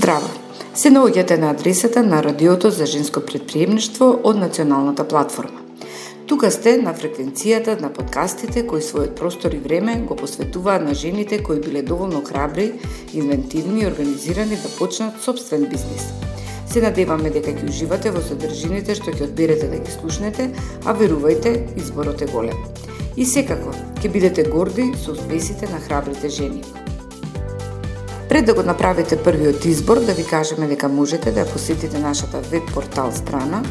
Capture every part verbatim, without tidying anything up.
Здраво! Се наоѓате на адресата на Радиото за женско претприемништво од Националната платформа. Тука сте на фреквенцијата на подкастите кои својот простор и време го посветуваат на жените кои биле доволно храбри, инвентивни и организирани да почнат собствен бизнис. Се надеваме дека ќе уживате во содржините што ќе одберете да ги слушнете, а верувајте, изборот е голем. И секако, ќе бидете горди со успесите на храбрите жени. Пред да го направите првиот избор, да ви кажеме дека можете да посетите нашата веб портал страна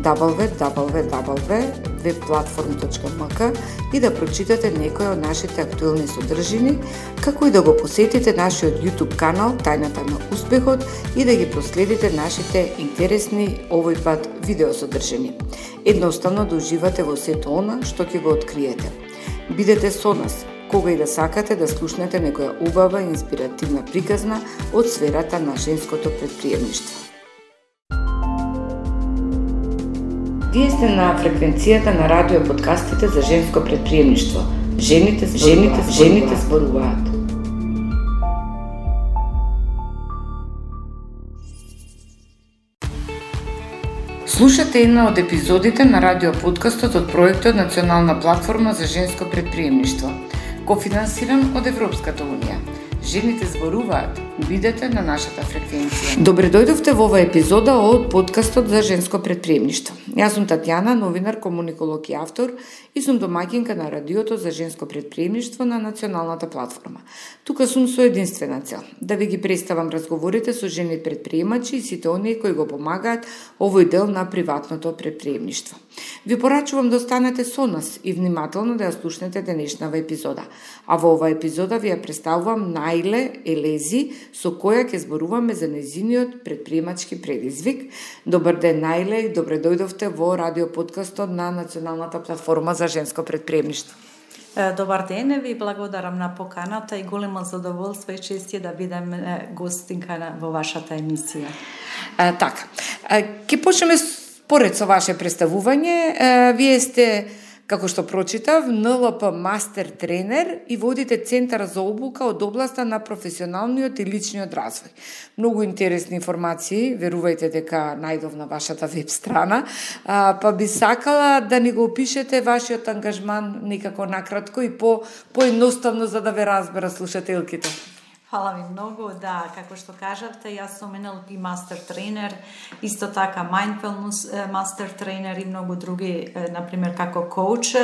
дабл ю дабл ю дабл ю точка веб платформ точка ем ка и да прочитате некои од нашите актуелни содржини, како и да го посетите нашиот YouTube канал Тајната на успехот и да ги проследите нашите интересни овој пат видеосодржини. Едноставно да уживате во сето она што ќе го откриете. Бидете со нас кога и да сакате да слушнете некоја убава и инспиративна приказна од сферата на женското претприемништво. Вие сте на фреквенцијата на радио подкастите за женско претприемништво. Жените, жените, жените зборуваат. Слушате една од епизодите на радио подкастот од проектот Национална платформа за женско претприемништво, кофинансиран од Европската унија. Жените зборуваат. Бидете на нашата фреквенција. Добре дојдовте во оваа епизода од подкастот за женско претприемништво. Јас сум Татјана, новинар, комуниколог и автор и сум домаќинка на Радиото за женско претприемништво на Националната платформа. Тука сум со единствена цел да ви ги представам разговорите со жени претприемачи и сите оние кои го помагаат овој дел на приватното претприемништво. Ви порачувам да останете со нас и внимателно да ја слушнете денешнава епизода. А во оваа епизода ви ја представувам Наиле Елези, со која ќе зборуваме за нејзиниот претприемачки предизвик. Добар ден, Наиле, и добре дојдовте во радио подкастот на Националната платформа за женско претприемништво. Добар ден, ви благодарам на поканата и големо задоволство и чест е да бидам гостинка во вашата емисија. А, така, ќе почнеме според со ваше представување. А, вие сте, како што прочитав, ен ел пи мастер тренер и водите Центар за обука од областа на професионалниот и личниот развој. Многу интересни информации, верувајте дека најдов на вашата веб страна, а, па би сакала да ни го опишете вашиот ангажман некако накратко и по поедноставно за да ве разбера слушателките. Фала ви многу, да, како што кажавте, јас сум ен ел пи мастер тренер, исто така mindfulness мастер тренер и многу други, например, како коуч.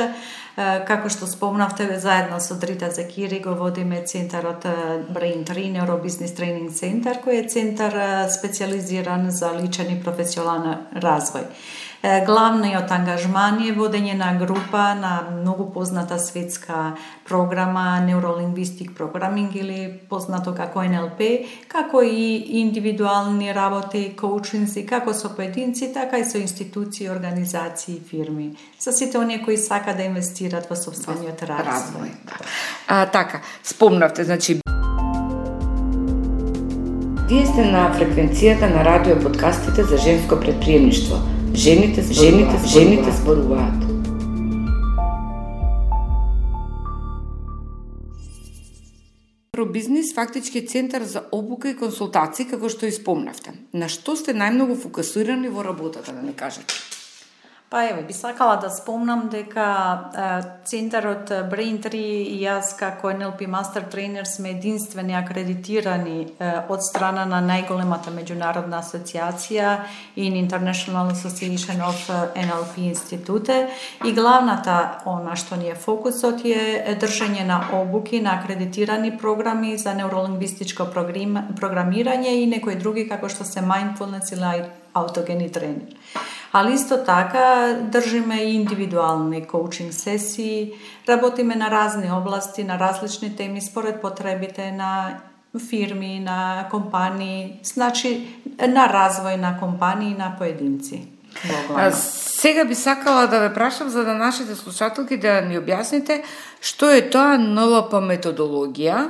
Како што спомнавте, заедно со Дрита Закири го водиме центарот Brain три, Neurobusiness Training Center, кој е центар специализиран за личен и професионален развој. Главниот ангажман е водење на група на многу позната светска програма Neurolingvistic Programming или познато како ен ел пи, како и индивидуални работи, коучинзи, како со поединци, така и со институции, организации и фирми. Со сите оние кои сака да инвестират во собствениот развој. А, така, спомнавте, значи вие сте на фреквенцијата на радио подкастите за женско претприемништво. Жените, жените, жените зборуваат. Бизнис фактички центар за обука и консултации, како што и спомнавте. На што сте најмногу фокусирани во работата, да не кажете? Па еве, би сакала да спомнам дека е, центарот Brain три и јас како ен ел пи мастер тренер сме единствени акредитирани е, од страна на најголемата меѓународна асоциација in International Association of ен ел пи институте и главната она што ни е фокусот е држање на обуки на акредитирани програми за неуролингвистичко програмирање и некои други како што се mindfulness или аутогени тренер. Ali isto така држиме и индивидуални коучинг сесии, работиме на разни области, на различни теми според потребите на фирми, на компании, значи на развој на компании и на поединци. А, сега би сакала да ве прашам за да нашите слушателки да ни објасните што е тоа ен ел пи методологија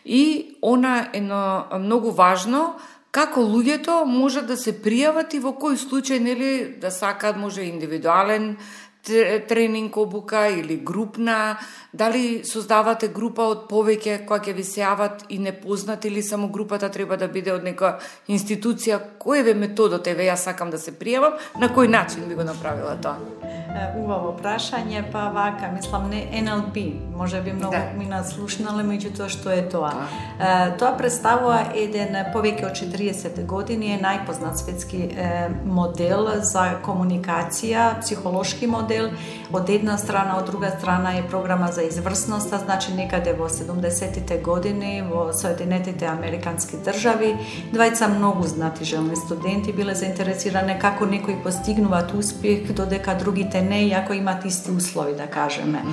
и она едно многу важно како луѓето можат да се пријават и во кој случај, нели, да сакаат може индивидуален тренинг обука или групна, дали создавате група од повеќе која ќе ви се јават и непознати или само групата треба да биде од нека институција? Кој е методот? Еве, јас сакам да се пријавам, на кој начин би го направила тоа? Убаво прашање, па вака, мислам, не Ен Ел Пи, може би многу да. Ми наслушнале, меѓутоа што е тоа? Да. Тоа представува еден повеќе од четириесет години, е најпознат светски модел за комуникација, психолошки модел, од една страна, од друга страна е програма за изврсноста, значи некаде во седумдесетите години во Соединетите Американски држави, двајца многу знати желни студенти биле заинтересирани како некои постигнуваат успех, додека другите не, иако имат исти услови, да кажеме.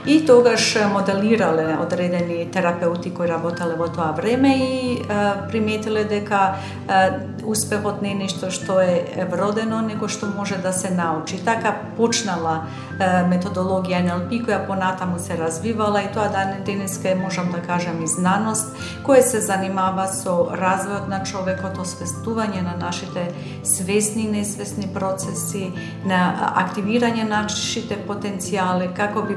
И тогаш моделирале одредени терапеути кои работеле во тоа време и а, приметиле дека а, успехот не е нешто што е вродено, него што може да се научи. Така почнала а, методологија Ен Ел Пи, која понатаму се развивала и тоа денеска е, можам да кажам, и знаност, која се занимава со развојот на човекот, освестување на нашите свесни и несвесни процеси, на активирање на нашите потенцијали, како би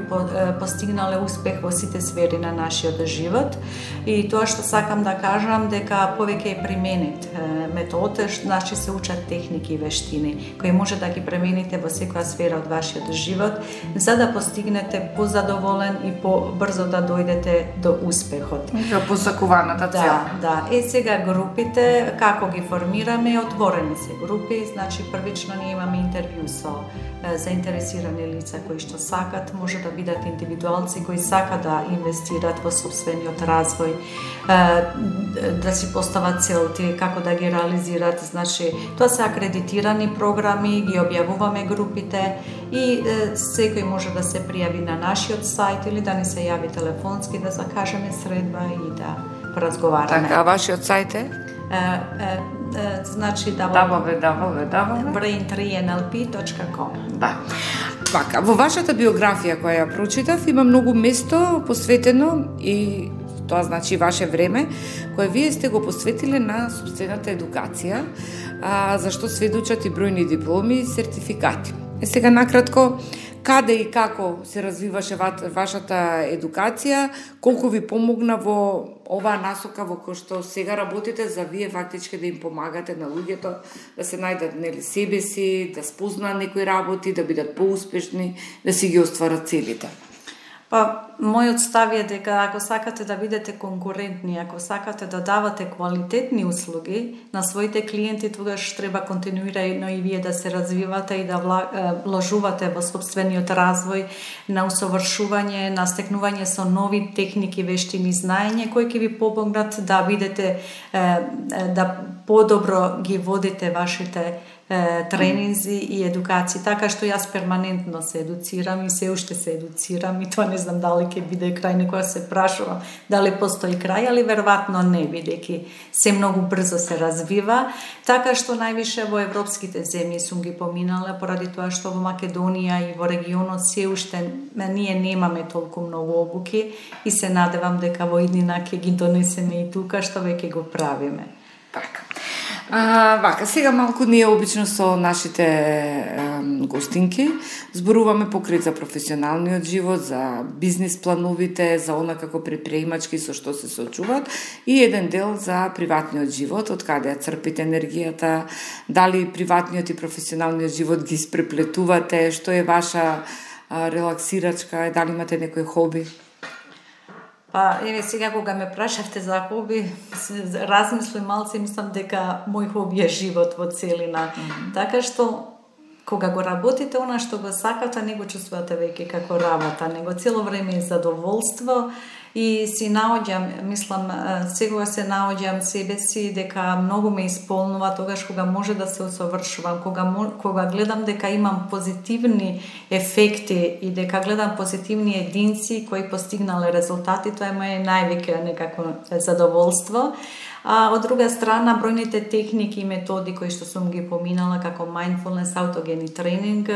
постигнале успех во сите сфери на нашиот живот. И тоа што сакам да кажам, дека повеќе е применет метод, значи се учат техники и вештини, кои може да ги примените во секоја сфера од вашиот живот, за да постигнете позадоволен и побрзо да дојдете до успехот. До посакуваната цел. Да, да. Е, сега групите, како ги формираме, отворени се групи, значи првично ние имаме интервју со заинтересирани лица кои што сакат, може да бидат индивидуалци кои сакат да инвестират во сопствениот развој, да си постават целти, како да ги реализират. Значи, тоа се акредитирани програми, ги објавуваме групите и секој може да се пријави на нашиот сајт или да ни се јави телефонски, да закажеме средба и да поразговараме. Така, а вашиот сајт е? Значи дабл ю дабл ю дабл ю точка брейн три ен ел пи точка ком. Да. Вака, во вашата биографија која ја прочитав, има многу место посветено и тоа значи ваше време, кое вие сте го посветиле на собствената едукација, а, за што сведочат и бројни дипломи и сертификати. Е, сега накратко, каде и како се развиваше вашата едукација, колку ви помогна во оваа насока во која што сега работите, за вие фактички да им помагате на луѓето да се најдат, нели, себе си, да спознаат некои работи, да бидат поуспешни, да си ги остварат целите? Па, мојот став е дека ако сакате да бидете конкурентни, ако сакате да давате квалитетни услуги на своите клиенти, тогаш треба континуирано и вие да се развивате и да вложувате во сопствениот развој, на усовршување, на стекнување со нови техники, вештини, знаење, кои ќе ви помогнат да бидете, да подобро ги водите вашите тренинзи и едукации, така што јас перманентно се едуцирам и се уште се едуцирам и тоа не знам дали ќе биде крај, некоја се прашувам дали постои крај, али веројатно не, бидејќи се многу брзо се развива, така што највише во европските земји сум ги поминале, поради тоа што во Македонија и во регионот се уште ние немаме толку многу обуки и се надевам дека во иднина ќе ги донесеме и тука, што веќе го правиме. Така. А, вака, сега малку ние обично со нашите е, гостинки зборуваме покрит за професионалниот живот, за бизнис плановите, за она како предприемачки со што се соочуваат и еден дел за приватниот живот, од каде ја црпите енергијата, дали приватниот и професионалниот живот ги испреплетувате, што е ваша а, релаксирачка, дали имате некој хоби? Па, еве сега кога ме прашавте за хоби, размислувам малце и мислам дека мој хоби е живот во целина. Mm-hmm. Така што кога го работите она што го сакате, не го чувствувате веќе како работа, него цело време е задоволство и си наоѓам, мислам, сега се наоѓам себе си дека многу ме исполнува тогаш кога може да се усовршувам, кога кога гледам дека имам позитивни ефекти и дека гледам позитивни единци кои постигнале резултати, тоа е моје највеќе некако задоволство. А од друга страна, бројните техники и методи кои што сум ги поминала, како mindfulness, аутогени тренинг,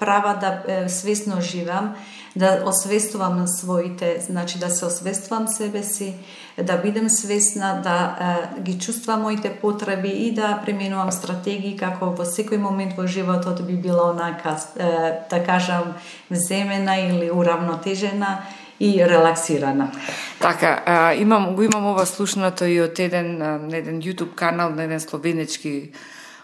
права да свесно живам, да освестувам на своите, значи да се освестувам себе си, да бидем свесна, да е, ги чувствам моите потреби и да применувам стратегии како во секој момент во животот би била онака, е, да кажам, земена или уравнотежена и релаксирана. Така, а, имам, го имам ова слушнато и од еден, на еден YouTube канал на еден словенечки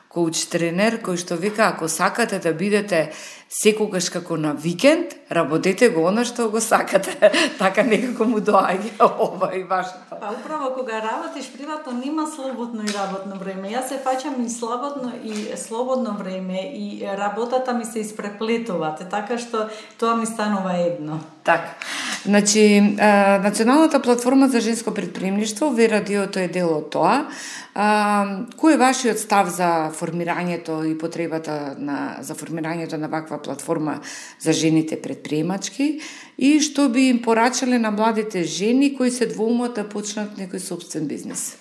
коуч тренер, кој што вика, ако сакате да бидете секогаш како на викенд, работете го она што го сакате. Така некако му доаѓа ова и вашето. Па управо кога работиш приватно нема слободно и работно време. Јас се фаќам и слободно и слободно време и работата ми се испреплетуваат, така што тоа ми станува едно. Така. Значи, Националната платформа за женско предприемништво, ве радиото е дел од тоа. А, кој е вашиот став за формирањето и потребата на, за формирањето на ваква платформа за жените предприемачки и што би им порачале на младите жени кои се двоумат да почнат некој собствен бизнес?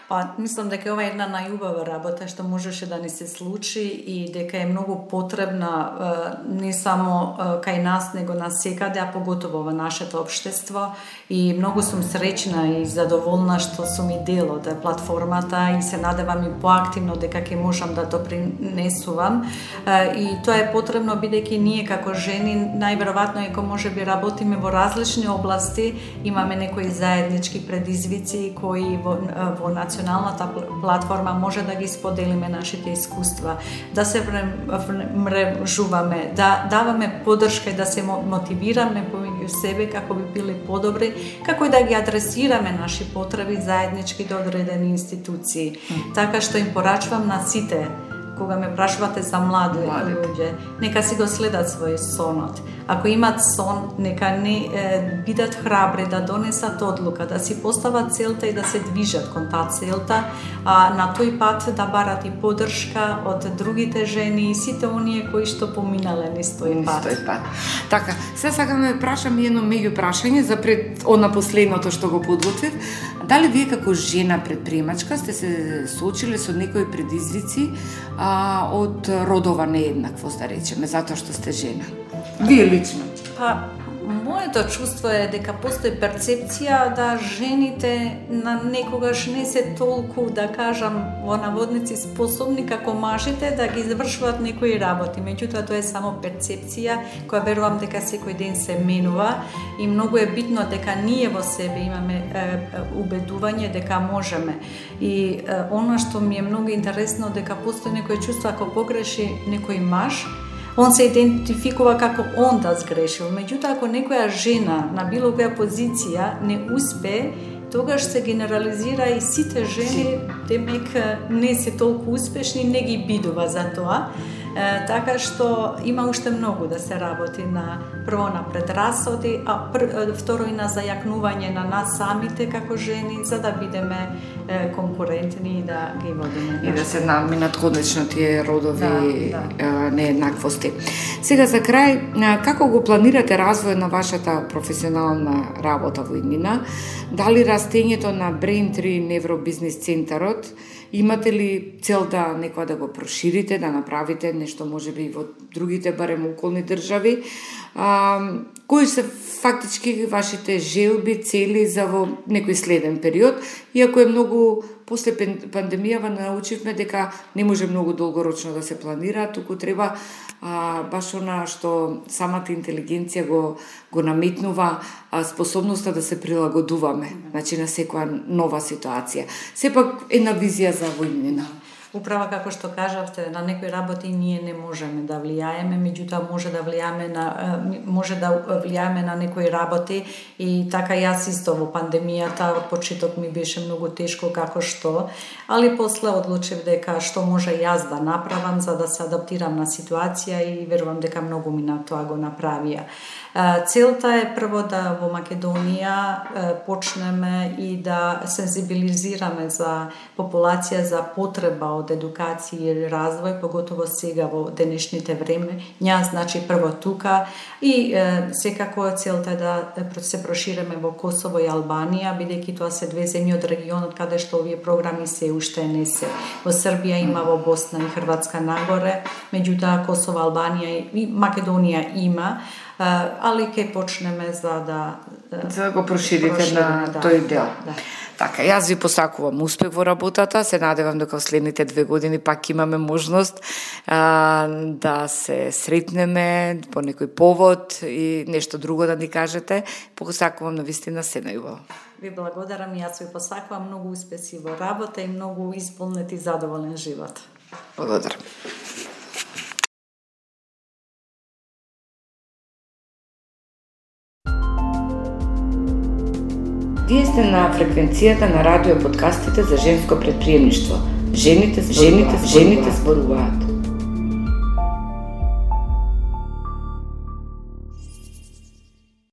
Па, мислам дека ова е една најубава работа што можеше да ни се случи и дека е многу потребна не само кај нас, него насекаде, а поготово во нашето општество. И многу сум среќна и задоволна што сум и дел од платформата и се надевам и поактивно дека ќе можам да допринесувам. И тоа е потребно бидејќи ние како жени најверојатно еко можеби работиме во различни области, имаме некои заеднички предизвици кои во, во Националната платформа може да ги споделиме нашите искуства, да се мрежуваме, да даваме поддршка и да се мотивираме помеѓу себе како би били подобри, како и да ги адресираме наши потреби заеднички до одредени институции. Така што им порачувам на сите, кога ме прашувате за млади луѓе, нека си го следат свој сонот. Ако имат сон, нека не е, бидат храбри да донесат одлука, да си постават целта и да се движат кон таа целта, а на тој пат да барат и поддршка од другите жени и сите оние кои што поминале низ тој пат. Тој пат. Така, се сакам да прашам едно меѓу прашање за пред она последното што го подготвив. Дали вие како жена предприемачка сте се соочиле со некои предизвици а, од родова нееднаквост, да речеме, затоа што сте жена? Вие лично? Па, моето чувство е дека постои перцепција да жените на некогаш не се толку, да кажам, во наводници способни како мажите да ги завршуваат некои работи. Меѓутоа тоа е само перцепција која верувам дека секој ден се менува и многу е битно дека ние во себе имаме е, убедување дека можеме. И е, она што ми е многу интересно дека постои некој чувство ако погреши некој маж, он се идентификува како он да сгрешил. Меѓутоа, ако некоја жена на било која позиција не успе, тогаш се генерализира и сите жени, демек не се толку успешни, не ги бидува за тоа. Е, така што има уште многу да се работи на прво на предрасоди, а пр, второ и на зајакнување на нас самите како жени, за да бидеме е, конкурентни и да ги водиме. И да се наминат конечно тие родови да, да. нееднаквости. Сега за крај, како го планирате развој на вашата професионална работа во иднина? Дали растењето на Braintree Невробизнис центарот, имате ли цел да некоја да го проширите, да направите нешто можеби во другите барем околни држави? А, кои се фактички вашите желби, цели за во некој следен период? Иако е многу после пандемијава научивме дека не може многу долгорочно да се планира, туку треба а, баш она што самата интелигенција го го наметнува, а, способноста да се прилагодуваме, значи на секоја нова ситуација. Сепак една визија за војнина. Управа како што кажавте, на некои работи ние не можеме да влијаеме, меѓутоа може да влијаеме на може да влијаеме на некои работи и така јас исто во пандемијата од почеток ми беше многу тешко како што, али после одлучив дека што може јас да направам за да се адаптирам на ситуација и верувам дека многу ми на тоа го направија. Целта е прво да во Македонија почнеме и да сензибилизираме за популација за потреба од од едукација и развој, поготово сега во денешните времења, значи прво тука и е, секако целта е да се проширеме во Косово и Албанија, бидејќи тоа се две земји од регионот каде што овие програми се уште не се. Во Србија има, во Босна и Хрватска нагоре, меѓутоа Косово, Албанија и Македонија има, али ќе почнеме за да за да го проширите на да, тој дел. Да, да. Така, јас ви посакувам успех во работата, се надевам дека во следните две години пак имаме можност а, да се сретнеме по некој повод и нешто друго да ни кажете. Посакувам на вистина се најубаво. Ви благодарам и јас ви посакувам многу успеси во работа и многу исполнет и задоволен живот. Благодарам. Вие сте на фреквенцијата на радио подкастите за женско предприемништво. Жените, жените, жените зборуваат.